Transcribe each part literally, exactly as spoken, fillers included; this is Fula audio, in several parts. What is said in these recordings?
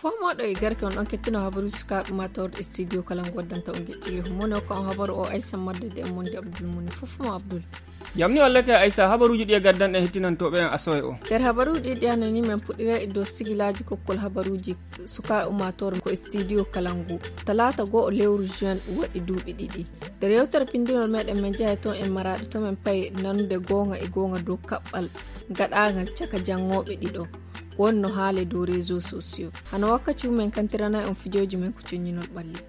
Fomoɗo e garke on ɗon kettino habaruuji sukaaɓe ummaatoore e studio kala ngo waddanta on gecciri humone o kan habaru o aysa maddade e monde abdul muni fof mo abdul. Jam ni wallake aysa habaruuji ɗi e gaddanɗen hettinantooɓe en asowe o. Nder habaruuji ɗi ɗi anani men puɗɗira e dow sigilaaji kokkol habaruuji sukaaɓe ummaatoore ko e studio kala ngu talaata goo o lewru juin waɗi duuɓi ɗiɗi. Nder yewtere pinndinol meɗen men njahay toon en maraaɗo to men payi nanude goonga e goonga dow kaɓɓal gaɗaangal caka janngooɓe ɗiɗo wonno haale dow réseau sociaux. Hano wakkati umen kantiranay on fijooji men ko cuññinol ɓalli.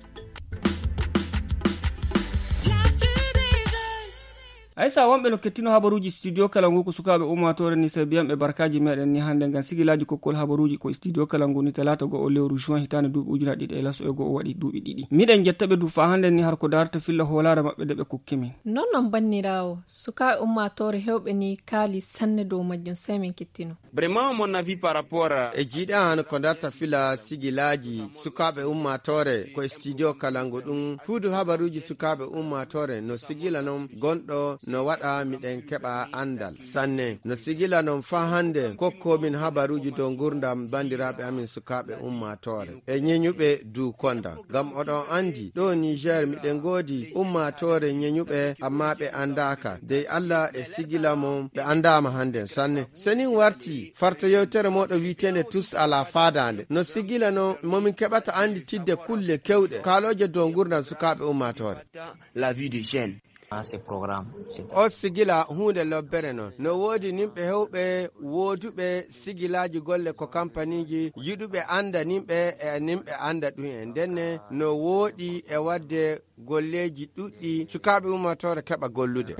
Aysa wonɓe no kettino habaruuji studio kala ngu ko sukaaɓe ummaatoore ni sabiyanɓe barkaaji meɗen ni hannde ngam sigilaaji kokkol habaruuji ko studio kala ngu ni talaata goo o lewru juin hitaande duuɓi ujuna ɗiɗi e laso e goo o waɗi duuɓi ɗiɗi. Miɗen jetta ɓe du faa hannde ni har ko darata filla hoolaare maɓɓe nde ɓe kokki min. Non non banniraawo sukaaɓe ummaatoore hewɓe ni kaali sanne dow majjum sey min kettino. Vraiment mon avis par rapport e jiiɗa hano ko darta fila sigilaaji sukaaɓe ummaatoore ko e studio kala ngu ɗum huudu habaruuji sukaaɓe ummaatoore no sigila non gonɗo no waɗa miɗen keɓa anndal sanne no sigila non faa hannde kokkomin habaruuji dow ngurdam banndiraaɓe amin sukaaɓe ummaatoore e ñeñuɓe du konda ngam oɗon anndi ɗo niger miɗen ngoodi ummaatoore ñeñuɓe amma ɓe anndaaka dey allah e sigila mon ɓe anndaama hannden sanne. Senin warti farta yewtere moɗo wi'eteende tous à la fadaande no sigila non momin keɓata annditidde kulle kewɗe kaalooje dow ngurdam sukaaɓe ummaatoore. La vie de jeune. O sigila huunde lobbere non no woodi nimɓe hewɓe wooduɓe sigilaaji golle ko kampaniiji yiɗuɓe annda nimɓe e nimɓe annda ɗum en ndenne no wooɗi e waɗde golleeji ɗuɗɗi sukaaɓe ummaatoore keɓa gollude.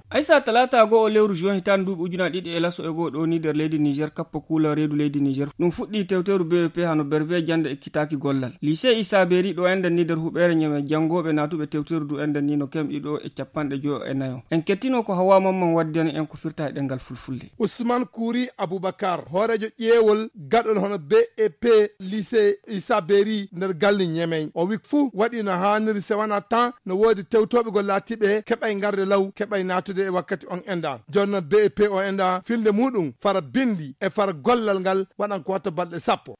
Aysa talaata goo o lewru juin hitaande duuɓi ujunaaji ɗiɗi e laso e goo ɗo ni nder leydi niger kappa kuula reedu leydi niger ɗum fuɗɗi tewteru bvp hano berve jannde ekkitaaki gollal lycée isa beri ɗo enɗen ni nder huɓeere ñeme janngooɓe naatuɓe tewteru du enɗen ni no kemɗi ɗo e capanɗe joyo e nayo en kettino ko hawa mamman waddani en ko firta e ɗemngal fulfulde. Usman kuuri abubakar hooreejo ƴeewol gaɗol hono bep lycée isa beri nder galli ñemey o wi fuu waɗi no haaniri sewana tan no woodi tewtooɓe gol laatiiɓe keɓay ngarde law keɓay naatude e wakkati on enda jonno bep o enda filnde muɗum fara bindi e fara gollal ngal waɗan ko watta balɗe sappo.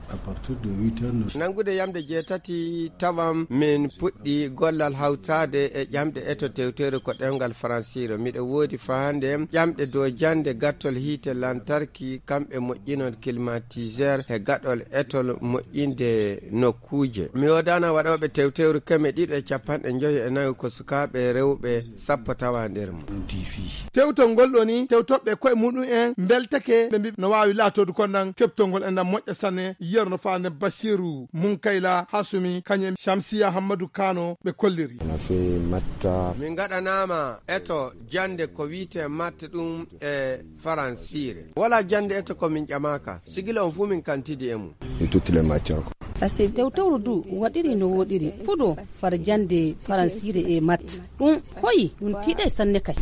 Nanngude yamde jeetati tawan min puɗɗi gollal hawtaade e ƴamɗe eto tewtere ko ɗemngal faransiire miɗo woodi faande ƴamɗe dow jannde gattol hiite lantarki kamɓe moƴƴinon climatiseur he gaɗol etol moƴƴinde nokkuuje mi woodana waɗooɓe tewtewru keme ɗiɗo e capanɗe njoyo e nayo ko sukaaɓe rewɓe sappo tawa nder mum. Tewtol ngol ɗo ni tewtoɓe koye muɗum en mbeltake ɓe mbi no waawi laatoodu kon nan keɓtol ngol e nan moƴƴa sanne yerno faande basiru munkayla hasumi kañum shamsiya hammadu kano ɓe kolliri. Min ngaɗanaama eto jannde ko wiyetee matte ɗum e faransiire wala jannde eto ko min ƴamaaka sigila on fuu min kantidi e mum. Tewtewru du waɗiri no woɗiri fuɗo far jannde faransiire e matte ɗum hoyi ɗum tiiɗe sanne kay.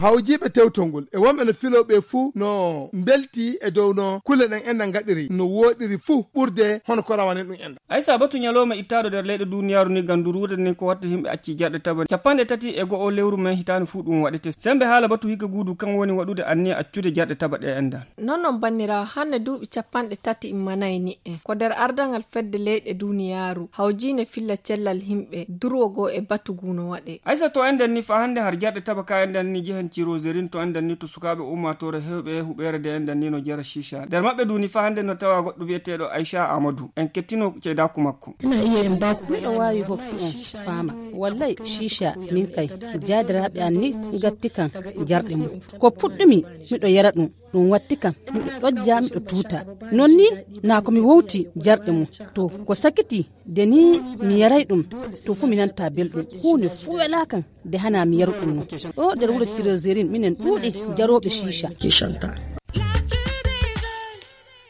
Hawjiiɓe tewtol ngol e wonɓe no filoo ɓe fuu no mbelti e dow no kulle ɗen enɗan ngaɗiri no wooɗiri fuu ɓurde hono ko rawane ɗum enɗan. Aysa batu ñalooma ittaaɗo nder leyɗe duuniyaaru ni ngam nduruude nden ko watta yimɓe acci jarɗe taba capanɗe tati e go'o lewru men hitaande fuu ɗum waɗete semmbe haala batu hikka guudu kan woni waɗude anniya accude jarɗe taba ɗe enɗan. Non non banniraawo hannde duuɓi capanɗe tati immanay ni'e ko nder ardangal fedde leyɗe duuniyaaru hawjiinde filla cellal yimɓe durwo goo e batu guu no waɗee. Aysa to enɗan ni faa hannde har jarɗe taba ka enɗan ni jehen ciroserin to enɗan ni to sukaaɓe ummaatoore hewɓe huɓeere de enɗan ni no jara ciica nder maɓɓe du ni faa hannde no tawa goɗɗo wi'eteeɗo aysa amadou en kettino ceedaaku makko. Miɗo waawi hokki on faama wallay ciica min kay jaadiraaɓe an ni gatti kan jarɗe mum ko puɗɗumi miɗo yara ɗum ɗum watti kam miɗo ɗojja miɗo tuuta non ni naa ko mi wowti jarɗe mum to ko sakiti de ni mi yaray ɗum to fuu mi nanta belɗum huunde fuu welaa kam de hana mi yaru ɗum non ɗo nder wuro tiroserin minen ɗuuɗi jarooɓe ciica.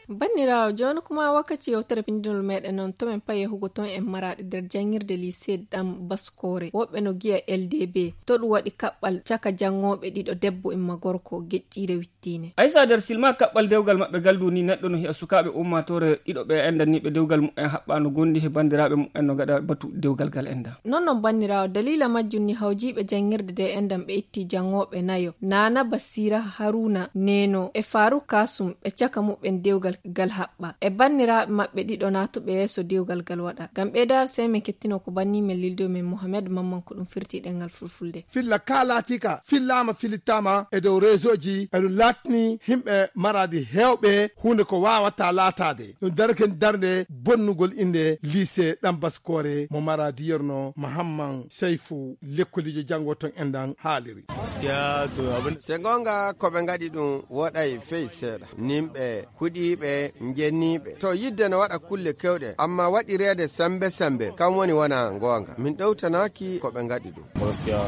Banndiraawo, jooni kuma wakkati yewtere pinndinol meɗen noon, to men payi e hugo toon en Maraaɗi nder janngirde lycée Ɗam Baskoore. Woɓɓe no giya L D B, to ɗum waɗi kaɓɓal caka janngooɓe ɗiɗo, debbo imma gorko, geƴƴiire wittiine. Aysa, nder silma kaɓɓal dewgal maɓɓe galdu ni, neɗɗo no hiya sukaaɓe ummaatoore ɗiɗo ɓe enɗan ni ɓe dewgal mumen haɓɓaano gondi he banndiraaɓe mumen no gaɗa batu dewgal gal enɗan. Noon noon banndiraawo, daliila majjum ni hawjiiɓe janngirde de enɗan ɓe itti janngooɓe nayo, Naana Basiira, Haruuna Neeno e Faaruk Kaasum, ɓe caka muɓɓen dewgal gal haɓɓa. E banndiraaɓe maɓɓe ɗiɗo naatuɓe yeeso dewgal gal waɗa. Ngam ɓeydaade sey men kettino ko banni men lildo men Mohamed Mamman ko ɗum firti ɗemngal fulfulde. Filla ka laatika, fillaama, filittaama e dow réseauji, eɗum laatni yimɓe Maraaɗi heewɓe huunde ko waawataa laataade. Ɗum darake darnde bonnugol innde lycée Ɗam Baskoore mo Maraaɗi yerno Mahamman Seyfu, lekkoliijo janngo toon enɗan haaliri. Gaskiya to abin Se goonga ko ɓe ngaɗi ɗum woɗay fey seeɗa. Nimɓe huɗiiɓe, njenniiɓe. To yidde no waɗa kulle kewɗe, amma waɗireede sembe sembe, kam woni wona goonga. Min ɗowtanaaki ko ɓe ngaɗi ɗum. Gaskiya.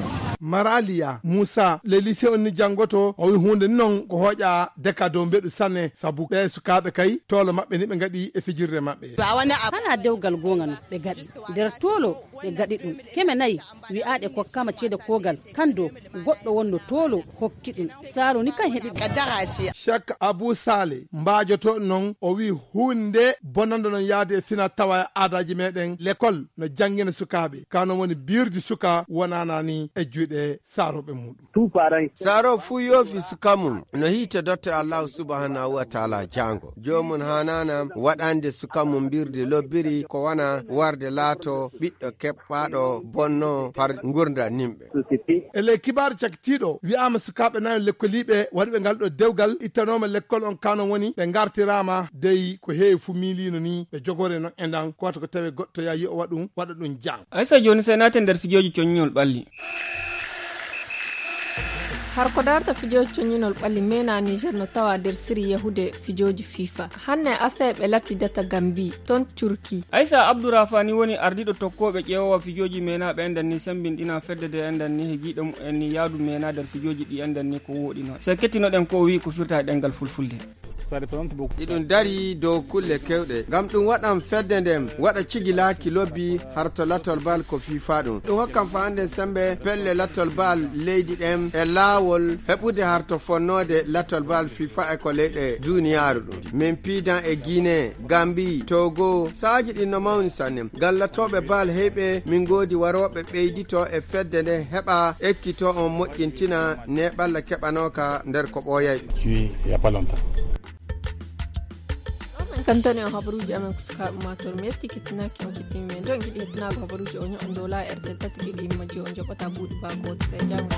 Maraliya Muusa, le lycée on ni janngoto, o wi huunde ni noon ko hooƴa deka dow mbeɗu sanne, sabu ɓe sukaaɓe kay, toolo maɓɓe ni ɓe ngaɗi e fijirde maɓɓe. Hana dewgal goonga no ɓe gaɗi. Nder toolo ɓe gaɗi ɗum. Keme nayi wi'aaɗe kokkaama ceede koogal, kan do goɗɗo wonno toolo hokki ɗum. Saaro ni kan heɓi ɗum. Shek Abu Sale, mbaajoto noon, o wi huunde bonande noon yaade e fina tawa e aadaaji meɗen, lekol no janngina sukaaɓe. Kano woni birdi suka wonana ni e juuɗe saarooɓe muɗum. Saaro fuu yoofi suka mum no hiite dotte Allahu subhanahu wa taala jaango. Joomum haanaana waɗande suka mum mbirdi lobbiri ko wona warde laato ɓiɗɗo keɓɓaaɗo bonno par ngurndan nimɓe. E ley kibaaru cakitiiɗo, wi'aama sukaaɓe nayo lekkoliiɓe waɗuɓe ngal ɗo dewgal ittanooma lekkol on kano woni ɓe ngartiraama dey ko heewi fu miiliino ni ɓe jogore noon e ndan ko wata ko tawe goɗɗo yaa yi'o waɗum, waɗa ɗum jang. Aysa, jooni sey naaten nder fijooji coññol ɓalli. Har ko darta fijooji coññinol ɓalli mena Niger no tawa nder siri yahude fijooji fifa. Hanne asay ɓe latti data Gambi, ton Turki. Aysa Abdourahmani woni ardiiɗo tokkooɓe ƴeewowa fijooji mena ɓe enɗan ni sembinɗina fedde de enɗan ni he giiɗo mumen ni yaadu mena nder fijooji ɗi enɗan ni ko wooɗi noon. Sey kettinoɗen ko o wi'i ko firta e ɗemngal fulfulde. Iɗum dari dow kulle kewɗe. Ngam ɗum waɗan fedde nden waɗa cigilaaki lobbi har to lattol bal ko fifa ɗum. Ɗum hokkan fa'ande sembe pelle lattol bal leydi ɗen e laawol heɓude har to fonnoode lattol bal fifa e ko leyɗe duniyaaru ɗum. Min piidan e Guinée, Gambie, Togo, saaji ɗin no mawni sanne. Ngam lattooɓe bal heyɓe min ngoodi warooɓe ɓeydito e fedde nde heɓa ekkito on moƴƴintina ne ɓalla keɓanooka nder ko ɓooyay ɗum. Ɗo men kantani on habaruuji amen ko sukaaɓe maatoor. Mi yetti kettinaaki on kettini men. Nde on ngiɗi hettinago habaruuji o ño'on dow laa R T L tati ɗiɗi yimma joyi on joɓata buuɗi baa gooto. Sey janngo.